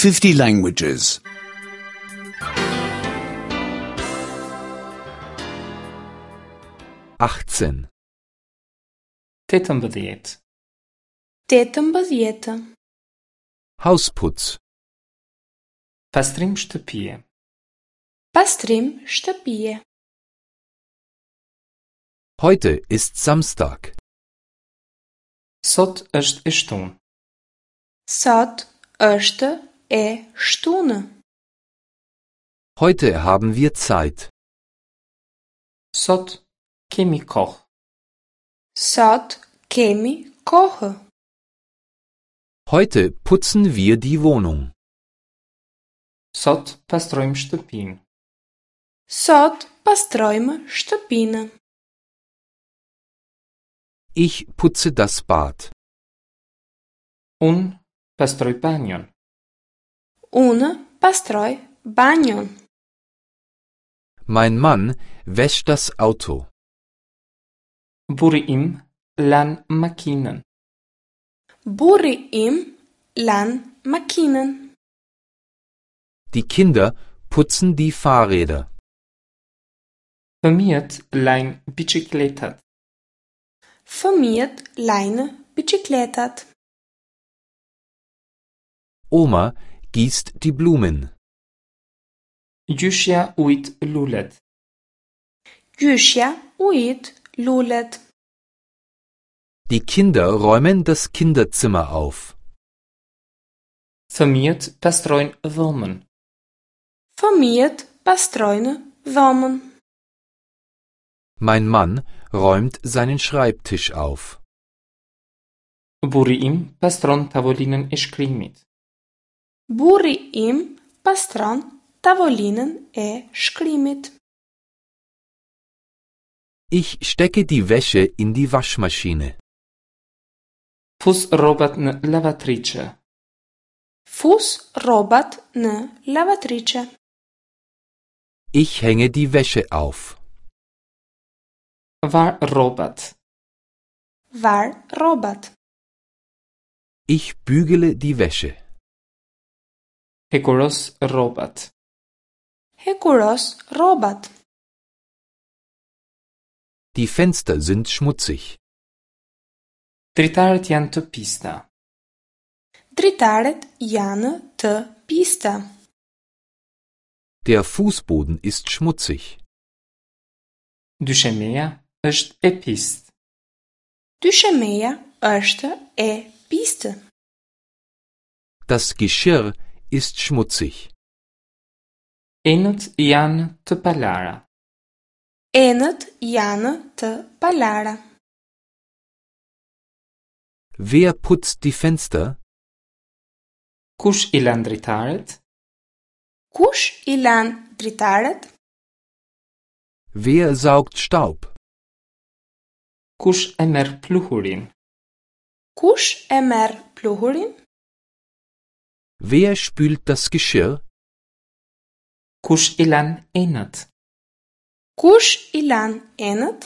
50 languages. 18. 18. 18. Hausputz. Pastrim shtëpie. Pastrim shtëpie. Heute ist Samstag. Sot është e shtunë. Sot është e shtunë. Heute haben wir Zeit. Sot kemi kohë. Sot kemi kohë. Heute putzen wir die Wohnung. Sot pastrojmë shtëpinë. Sot pastrojmë shtëpinë. Ich putze das Bad. Unë pastroj banjon. Unë pastroj banjon. Mein Mann wäscht das Auto. Burri im lan makinën. Burri im lan makinën. Die Kinder putzen die Fahrräder. Fëmijët lajnë biçikletat. Fëmijët lajnë biçikletat. Oma gießt die Blumen. Gjyshja ujit lulet. Gjyshja ujit lulet. Die Kinder räumen das Kinderzimmer auf. Fëmijët pastrojnë dhomën. Fëmijët pastrojnë dhomën. Mein Mann räumt seinen Schreibtisch auf. Burri im pastron tavolinën e shkrimit. Burri im pastron tavolinën e shkrimit. Ich stecke die Wäsche in die Waschmaschine. Fus rrobat në lavatriçe. Fus rrobat në lavatriçe. Ich hänge die Wäsche auf. Var rrobat. Var rrobat. Ich bügele die Wäsche. Hekuros rrobat. Hekuros rrobat. Die Fenster sind schmutzig. Dritaret janë të pista. Dritaret janë të pista. Der Fußboden ist schmutzig. Dyshemeja është e pistë. Dyshemeja është e pistë. Das Geschirr ist schmutzig. Enët janë të palara. Enët janë të palara. Wer putzt die Fenster? Kush i lan dritaret? Kush i lan dritaret? Wer saugt Staub? Kush e merr pluhurin? Kush e merr pluhurin? Wer spült das Geschirr? Kush i lan enët? Kush i lan enët?